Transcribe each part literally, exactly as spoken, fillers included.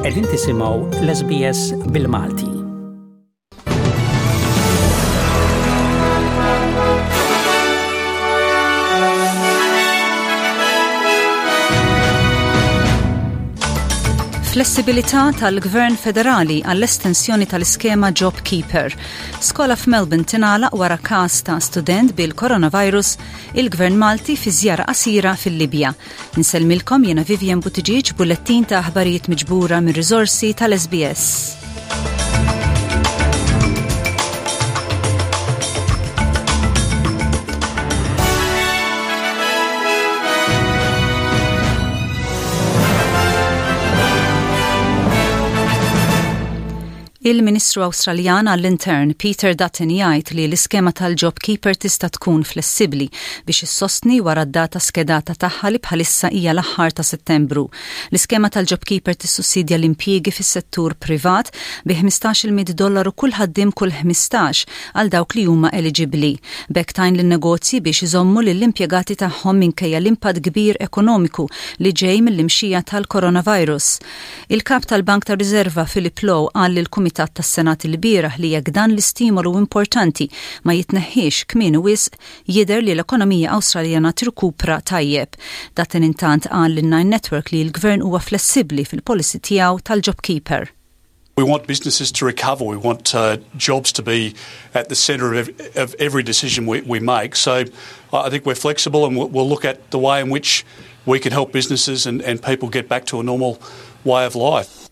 Qegħdin tisimgħu l-S B S bil-Malti. Flessibilità tal-Gvern Federali għall-estensjoni tal-iskema JobKeeper. Skola f'Melbourne tingħalaq wara każ ta' student bil-coronavirus, il-Gvern Malti fi żjara qasira fil-Libja. Insellmilkom jiena Vivian Buttigieg, bullettin ta' aħbarijiet miġbura mir riżorsi tal-S B S. Il-Ministru Awstraljan għall-Intern Peter Dutton jgħid li l-iskema tal-JobKeeper tista' tkun flessibbli biex issostni wara d-data skedata tagħha li bħalissa hija l-aħħar ta' Settembru. L-iskema tal-JobKeeper tissussidja l-impjiegi fis-settur privat bi ħmistax-il dollaru kull ħaddiem kull ħmistax għal dawk li huma eligibbli. B'hekk tgħin lin-negozji biex iżommu lill-impjegati tagħhom minkejja l-impatt kbir ekonomiku li ġej mill-imxija tal-coronavirus. Il-kap tal-Bank ta' Riserva Philip Lowe qal lill-Kumitat tas-Senat il-bieraħ li jekk dan l-istimolu importanti ma jitneħħiex kmieni wisq, jidher li l-ekonomija Awstraljana tirkupra tajjeb. Dutton intant qal lin Nine Network li l-gvern huwa flessibbli fil-policy tiegħu tal-JobKeeper. We want businesses to recover. We want uh, jobs to be at the centre of, of every decision we, we make. So I think we're flexible and we'll, we'll look at the way in which we can help businesses and, and people get back to a normal way of life.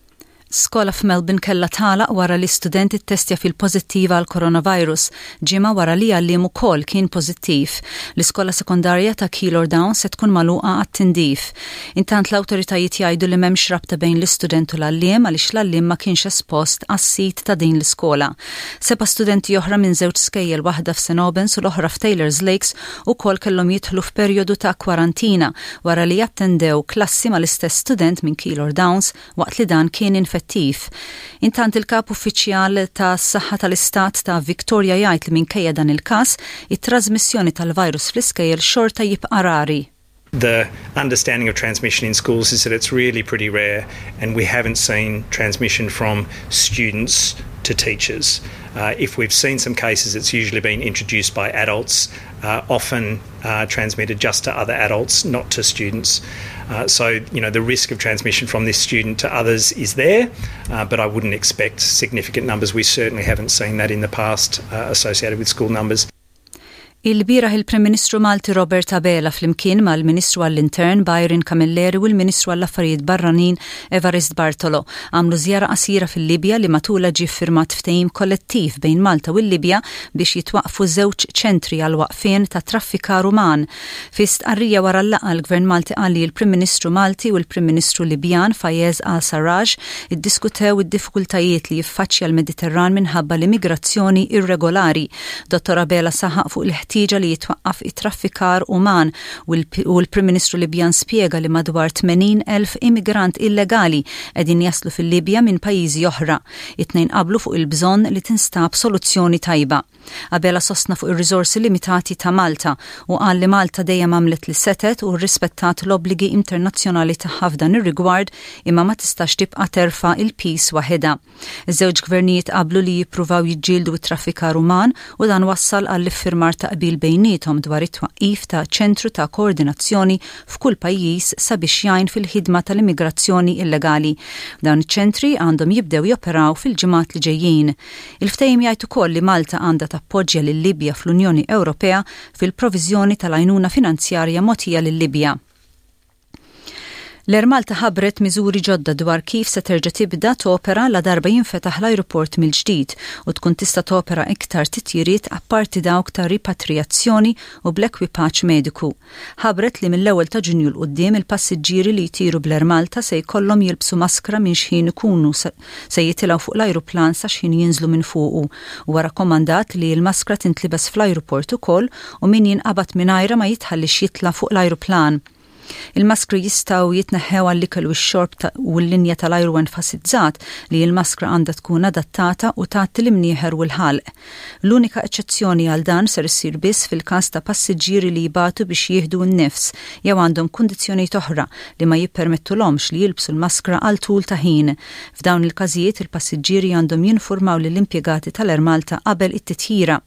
Skola f'Melbourne kella tagħlaq wara li student ittestja fil-pożittiva għal coronavirus, ġimgħa wara li għalliem ukoll kien pożittiv. L-iskola sekondarja ta' Keilor Downs se tkun magħluqa għat-tindif. Intant l-awtoritajiet jgħidu li m'hemmx rabta bejn l-istudent u l-għalliem għaliex l-għalliem ma kienx espost għas-sit ta' din l-iskola. Seba' studenti oħra minn żewġ skejjel, waħda f'Saint Albans u l-oħra f'Taylor's Lakes, ukoll kellhom jidħlu f'perjodu ta' kwarantina wara li attendew klassi mal-istess student minn Keilor Downs waqt li dan kien infettiv. Intant il-kap uffiċjal ta' saħħa tal-Istat ta' Victoria jgħid li minkejja dan il-każ, it-trasmissjoni tal-virus fl-iskejjel xorta jibqa' rari. The understanding of transmission in schools is that it's really pretty rare, and we haven't seen transmission from students to teachers. Uh, if we've seen some cases, it's usually been introduced by adults, uh, often uh, transmitted just to other adults, not to students. Uh, so, you know, the risk of transmission from this student to others is there, uh, but I wouldn't expect significant numbers. We certainly haven't seen that in the past uh, associated with school numbers. Il-bieraħ il-Prim Ministru Malti Robert Abela flimkien mal-Ministru għall-Intern Byron Camilleri u l-Ministru għall-Affarijiet Barranin Evarist Bartolo għamlu żjara qasira fil-Libja li matula ġie firmat ftehim kollettiv bejn Malta u l-Libja biex jitwaqfu żewġ ċentri għal waqfien ta' traffikar uman. Fi stqarrija wara l-laqgħa, l-Gvern Malti qal li l-Prim Ministru Malti u l-Prim Ministru Libjan Fayez Al-Sarraj iddiskutew id-diffikultajiet li jiffaċċja l-Mediterran minħabba l-immigrazzjoni irregolari. Dottor Abela saħaq fuq il-ħtieġa li jitwaqqaf it-traffikar uman u l-Prim Ministru Libjan spjega li madwar tmenin elf immigrant illegali qegħdin jaslu fil-Libja minn pajjiżi oħra. It-tnejn qablu fuq il-bżonn li tinstab soluzzjoni tajba. Abela sostna fuq ir-riżorsi limitati ta' Malta u qal li Malta dejjem għamlet li setgħet u rispettat l-obbligi internazzjonali tagħha f'dan ir-rigward, imma ma tistax tibqa' terfa' il-piż waħedha. Iż-żewġ gvernijiet qablu li jippruvaw jiġġieldu t-traffikar uman u dan wassal għall-iffirmar ta' qbil bejniethom dwar it-twaqqif ta' ċentru ta' koordinazzjoni f'kull pajjiż sabiex jgħin fil-ħidma tal-immigrazzjoni illegali. Dawn iċ-ċentri għandhom jibdew joperaw fil-ġimgħat li ġejjin. Il-ftehim jgħid ukoll li Malta għandha tappoġġja lil-Libja fl-Unjoni Ewropea fil-proviżjoni tal-għajnuna finanzjarja mogħtija lil-Libja. L-Air Malta ħabbret miżuri ġodda dwar kif se terġa' tibda topera la darba jinfetaħ l-ajruport mill-ġdid u tkun tista' topera iktar titjiriet apparti dawk ta' ripatrijazzjoni u bl-ekwipaġġ mediku. Ħabbret li mill-ewwel ta' Ġunju 'l quddiem il-passiġġieri li jtiru bl-Air Malta se jkollhom jilbsu maskra minn xħin ikunu se jitilgħu fuq l-ajruplan sa xħin jinżlu minn fuqu. Huwa rakkomandat li l-maskra tintlibes fl-ajruport ukoll u min jinqabad mingħajra ma jitħallix jitla' fuq l-ajruplan. Il-maskri jistgħu jitneħħew għall-ikel u x-xorb u l-linja tal-ajru enfasizzat li l-maskra għandha tkun adattata u tgħatti l-imnieħer u l-ħalq. L-unika eċċezzjoni għal dan ser issir biss fil-każ ta' passiġġieri li jibatu biex jieħdu n-nifs jew għandhom kundizzjonijiet oħra li ma jippermettulhomx li jilbsu l-maskra għal tul ta' ħin. F'dawn il-każijiet, il-passiġġieri għandhom jinformaw lill-impjegati tal-Air Malta qabel it-titjira.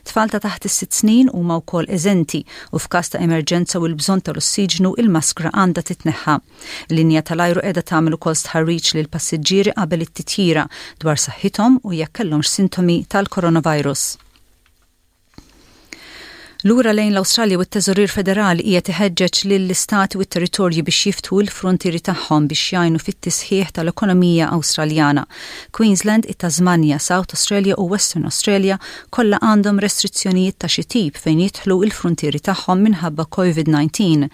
Tfal ta' taħt is-sitt snin huma wkoll eżenti u f'każ ta' emerġenza u l-bżonn tal-ossiġnu, il-maskra għandha titneħħa. Linja tal-ajru qiegħda tagħmel ukoll stħarriġ lil passiġġieri qabel it-titjira dwar saħħithom u jekk kellhomx sintomi tal-coronavirus. Lura lejn l-Awstralja, u t-Teżorier Federali qiegħed iħeġġeġ lill-istati u t-territorji biex jiftħu l-frontieri tagħhom biex jgħinu fit-tisħiħ tal-ekonomija Awstraljana. Queensland, it-Tasmania, South Australia u Western Australia kollha għandhom restrizzjonijiet ta' xi tip fejn jidħlu il-frontieri tagħhom minħabba COVID nineteen.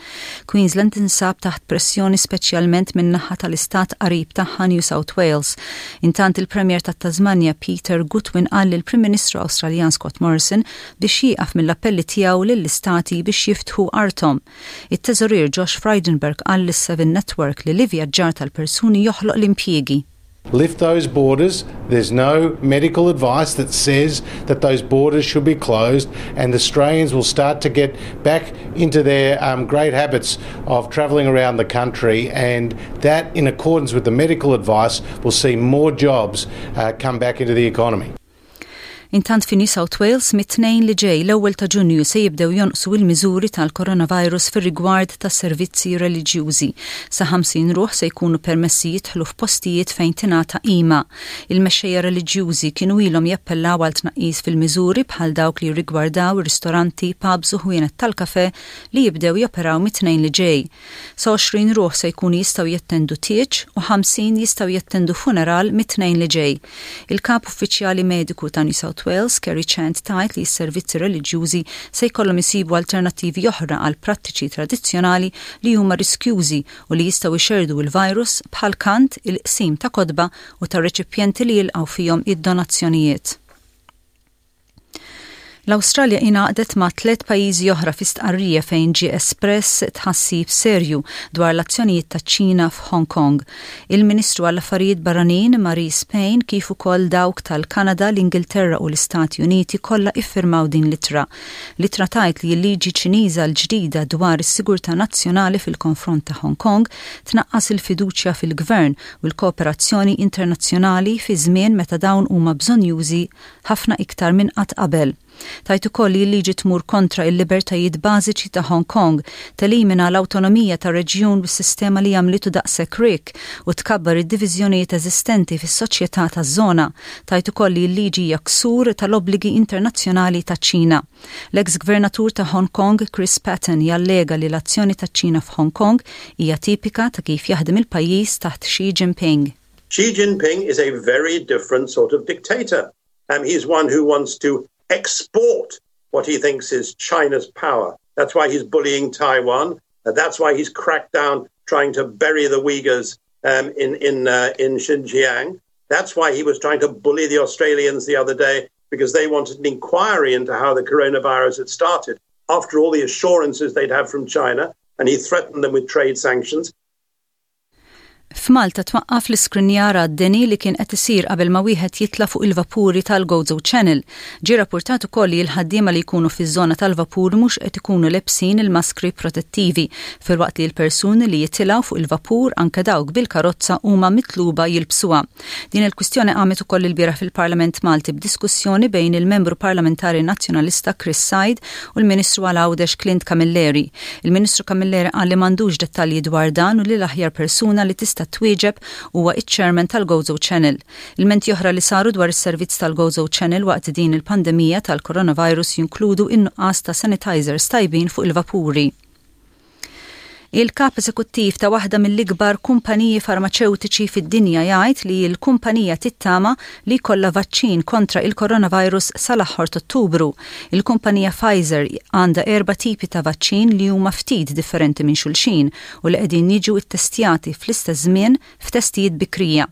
Queensland tinsab taħt pressjoni, speċjalment min-naħa tal-istat qarib tagħha, New South Wales. Intant, il-Premier tat-Tasmania Peter Gutwein qal lill-Prim Ministru Awstraljan Scott Morrison biex jieqaf mill-appelli tiegħu lill-istati biex jiftħu arthom. It-teżorier Josh Frydenberg qal lis-Seven Network li l-ivvjaġġar tal-persuni joħloq l-impjiegi. Lift those borders. There's no medical advice that says that those borders should be closed, and Australians will start to get back into their um, great habits of travelling around the country, and that, in accordance with the medical advice, will see more jobs uh, come back into the economy. Intant, fi New South Wales, mit-Tnejn li ġej, l-ewwel ta' Ġunju, se jibdew jonqsu il-miżuri tal-coronavirus fir-rigward tas servizzi reliġjużi. Sa ħamsin ruħ se jkunu permessi jidħlu f'postijiet fejn tingħata qima. Il-mexxejja reliġjużi kienu ilhom jappellaw għal tnaqqis fil-miżuri bħal dawk li rigwardaw ristoranti, pubs u ħwienet tal-kafe li jibdew joperaw mit-Tnejn li ġej. Sa għoxrin ruħ se jkunu jistgħu jattendu tieġ u ħamsin jistgħu jattendu funeral mit-Tnejn li ġej. Il-kap uffiċjali mediku ta' New South Wales, Kerry Chant, tgħid li s-servizzi reliġjużi se jkollhom isibu alternattivi oħra għal prattiċi tradizzjonali li huma riskjużi u li jistgħu jxerdu il-virus, bħal kant, il-qsim ta' kotba u ta' reċipjenti li jilqgħu fihom id-donazzjonijiet. L-Awstralja ingħaqdet ma' tliet pajjiżi oħra fi stqarrija fejn ġie espress tħassib serju dwar l-azzjonijiet taċ-Ċina f'Hong Kong. Il-Ministru għall-Affarijiet Barranin Marise Payne, kif ukoll dawk tal-Kanada, l-Ingilterra u l-Istati Uniti kollha iffirmaw din l-ittra. L-ittra tgħid li l-liġi Ċiniża l-ġdida dwar is-sigurtà nazzjonali fil-konfront ta' Hong Kong tnaqqas il-fiduċja fil-gvern u l-kooperazzjoni internazzjonali fi żmien meta dawn huma bżonjużi ħafna iktar minn qatt qabel. Tgħid ukoll li l-liġi tmur kontra il-libertajiet bażiċi ta' Hong Kong, telimina l-awtonomija ta' reġjun bis-sistema li għamlitu daqshekk rik u tkabbar id-diviżjonijiet eżistenti fis-soċjetà taż-żona. Tgħid ukoll li l-liġi hija ksur tal-obbligi internazzjonali ta' Ċina. L-ex gvernatur ta' Hong Kong Chris Patten jallega li l-azzjoni ta' Ċina f'Hong Kong hija tipika ta' kif jaħdem il-pajjiż taħt Xi Jinping. Xi Jinping is a very different sort of dictator. Um, he's one who wants to export what he thinks is China's power. That's why he's bullying Taiwan. Uh, that's why he's cracked down trying to bury the Uyghurs um, in, in, uh, in Xinjiang. That's why he was trying to bully the Australians the other day, because they wanted an inquiry into how the coronavirus had started, after all the assurances they'd have from China, and he threatened them with trade sanctions. F'Malta twaqqaf l-iskrinjar għad-deni li kien qed isir qabel ma wieħed jitla fuq il-vapuri tal-Gozo Channel. Ġie rapportat ukoll li l-ħaddiema li jkunu fiż-żona tal-vapur mhux qed ikunu lebsin il-maskri protettivi, filwaqt li l-persuni li jitilgħu fuq il-vapur, anke dawk bil-karozza, huma mitluba jilbsuha. Din il-kwistjoni qamet ukoll il-bieraħ fil-Parlament Malti b'diskussjoni bejn il-membru parlamentari nazzjonalista Chris Said u l-Ministru għal Għawdex Clint Camilleri. Il-Ministru Camilleri qal li m'għandux dettalji dwar dan u li l-aħjar persuna li tista' twieġeb huwa iċ-chairman tal-Gozo Channel. Ilmenti oħra li saru dwar is-servizz tal-Gozo Channel waqt din il-pandemija tal-coronavirus jinkludu in-nuqqas ta' sanitizers tajbin fuq il-vapuri. Il-kap eżekuttiv ta' waħda mill-ikbar kumpaniji farmaċeutiċi fid-dinja jgħid li l-kumpanija tittama li jkollha vaċċin kontra il-coronavirus sal-aħħar Ottubru. Il-kumpanija Pfizer għandha erba' tipi ta' vaċċin li huma ftit differenti minn xulxin u li qegħdin jiġu ittestjati fl-istess żmien f'testijiet bikrija.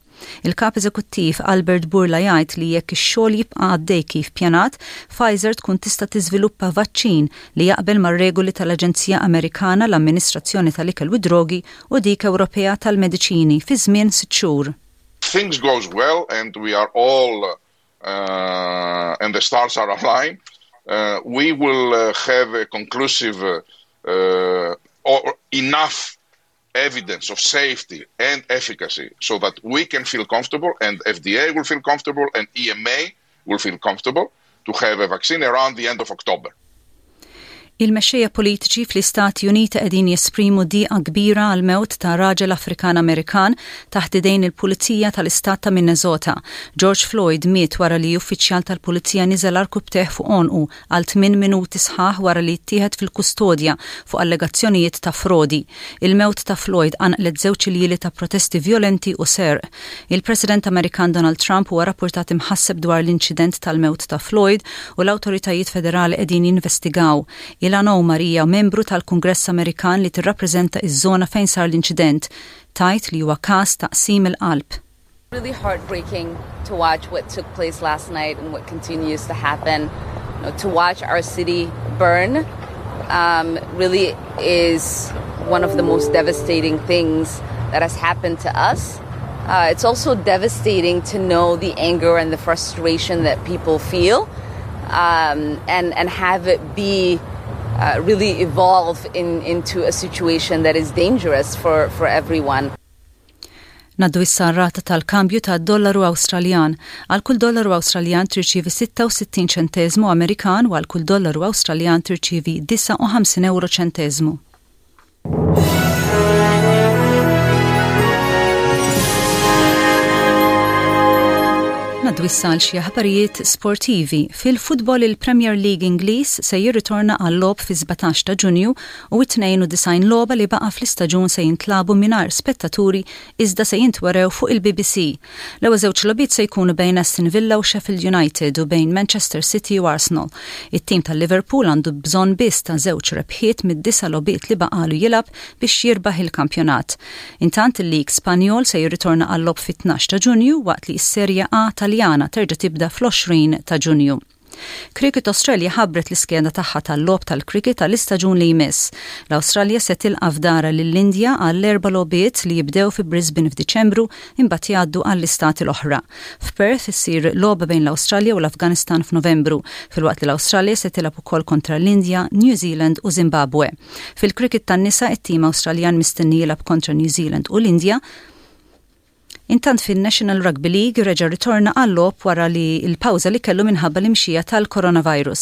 Il-kap eżekuttiv Albert Bourla jgħid li jekk ix-xogħol jibqa' għaddej kif pjanat, Pfizer tkun tista' tiżviluppa vaċċin li jaqbel mar-regoli tal-Aġenzija Amerikana l-Amministrazzjoni tal-Ikel u Drogi u dik Ewropea tal-Mediċini fi żmien sitt xhur. Things goes well and we are all uh, and the stars are aligned, uh, we will uh, have a conclusive uh, uh, or enough evidence of safety and efficacy so that we can feel comfortable and F D A will feel comfortable and E M A will feel comfortable to have a vaccine around the end of October. Il-mexxejja politiċi fl-Istati Uniti qegħdin jesprimu diqa kbira għal mewt ta' raġel Afrikan Amerikan taħt idejn il-Pulizija tal-Istat ta' Minnesota. George Floyd miet wara li uffiċjal tal-Pulizija niżel għarkupptejh fuq għonqu għal tmien minuti sħaħ wara li ttieħed fil-kustodja fuq allegazzjonijiet ta' frodi. Il-mewt ta' Floyd qanqlet żewġ iljieli ta' protesti violenti u serq. Il-President Amerikan Donald Trump huwa rapportat imħasseb dwar l-inċident tal-mewt ta' Floyd u l-awtoritajiet federali qegħdin jinvestigaw. Ilhan Omar hija membru tal-Kungress Amerikan li tirrappreżenta iż-żona fejn sar l-inċident. Tgħid li huwa każ ta' qsim il-qalb. Really heartbreaking to watch what took place last night and what continues to happen. You know, to watch our city burn um, really is one of the most devastating things that has happened to us. Uh, it's also devastating to know the anger and the frustration that people feel um, and, and have it be uh, really evolve in, into a situation that is dangerous for, for everyone. Ngħaddu issa rata tal-kambju ta' dollaru Awstraljan. Għal kull dollaru Awstraljan tirċivi sitta u sittin ċentezmu Amerikan u għal kull dollaru Awstraljan tirċivi disgħa u ħamsin euro ċentezmu. Ngħaddu issa għal xi aħbarijiet sportivi. Fil-futbol, il-Premier League Ingliż se jirritorna għal logħob fi sbatax ta' Ġunju u t-tnejn u disgħin logħba li baqa' fl-istaġun se jintlagħbu mingħajr spettaturi iżda se jintwerew fuq il-B B C. L-ewwel żewġ logħbiet se jkunu bejn Aston Villa u Sheffield United u bejn Manchester City u Arsenal. It-tim tal-Liverpool għandu bżonn biss ta' żewġ rebħiet mid-disa' logħbiet li baqalu jilgħab biex jirbaħ il-kampjonat. Intant, il-League Spanjol se jirritorna għal logħob fit-tnax ta' Ġunju waqt li s-Serja A Taljana terġa' tibda fl-għoxrin ta' Ġunju. Cricket Australia ħabbret l-iskeda tagħha tal-logħob tal-cricket tal-istaġun li jmiss. L-Awstralja se tilqa' f'darha lill-Indja għall-erba' logħbiet li jibdew fi Brisbane f'Diċembru, imbagħad jgħaddu għall-istati l-oħra. F'Perth issir logħba bejn l-Awstralja u l-Afganistan f'Novembru, filwaqt li l-Awstralja se tilgħab ukoll kontra l-Indja, New Zealand u Zimbabwe. Fil-cricket tan-nisa, it-tim Awstraljan mistenni jilgħab kontra New Zealand u l-Indja. Intant, fin-National Rugby League reġa' ritorna għal-logħob wara li l-pawża li kellu minħabba l-imxija tal-coronavirus.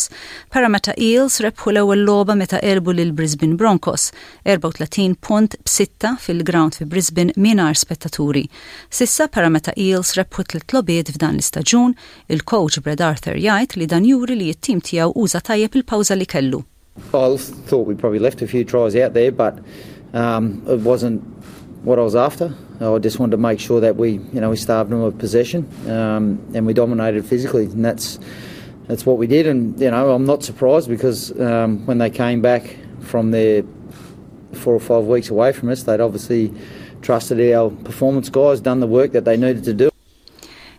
Parramatta Eels rebħu l-ewwel logħba meta għelbu lil Brisbane Broncos erbgħa u tletin punt b'sitta fil-ground fi Brisbane mingħajr spettaturi. S'issa Parramatta Eels rebħu tliet logħbiet f'dan l-istaġun. Il-coach Brad Arthur jgħid li dan juri li t-tim tiegħu uża tajjeb il-pawża li kellu. I thought we probably left a few tries out there, but um, it wasn't what I was after. I just wanted to make sure that we, you know, we starved them of possession um, and we dominated physically, and that's that's what we did. And you know, I'm not surprised because um, when they came back from their four or five weeks away from us, they'd obviously trusted our performance guys, done the work that they needed to do.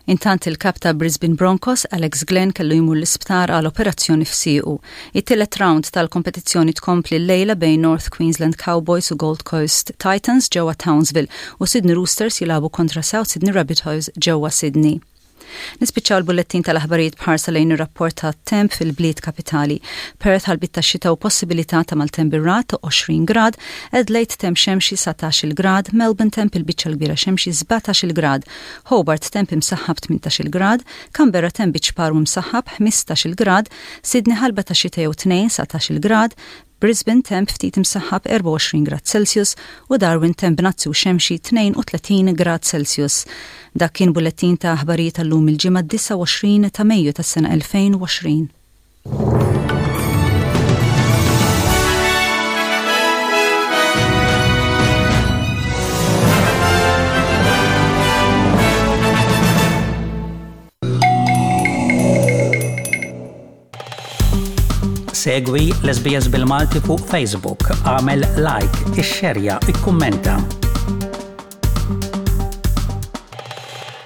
Intant, il-kap ta' Brisbane Broncos, Alex Glenn, kellu jmur l-isptar għal operazzjoni f'siequ. It-tielet round tal-kompetizzjoni tkompli l-lejla bejn North Queensland Cowboys u Gold Coast Titans ġewwa Townsville u Sydney Roosters jilagħbu kontra South Sydney Rabbitohs ġewwa Sydney. Nispiċċaw l-bullettin tal-aħbarijiet b'ħarsa lejn ir-rapport ta' temp fil-bliet kapitali. Perth ħalbiet ta' xita u possibilità ta' maltemp bir-ragħad, għoxrin grad, Adelaide temp xemxi, dsatax-il grad, Melbourne temp il-biċċa l-kbira xemxi, sbatax-il grad, Hobart temp imsaħħab, tmintax-il grad, Canberra temp biċ-ċpar u msaħħab, ħmistax-il grad, Sydney ħalba ta' xita jew tnejn, dsatax-il grad, Brisbane temp ftit imsaħħab, erbgħa u għoxrin grad Celsius u Darwin temp bnazzi u xemxi, tnejn u tletin grad Celsius. Dak kien bullettin ta' aħbarijiet tal-lum, il-Ġimgħa disgħa u għoxrin ta' Mejju tas-sena elfejn u għoxrin. Segwi l-S B S bil-Malti fuq Facebook, agħmel like, ixxerja, ikkummenta.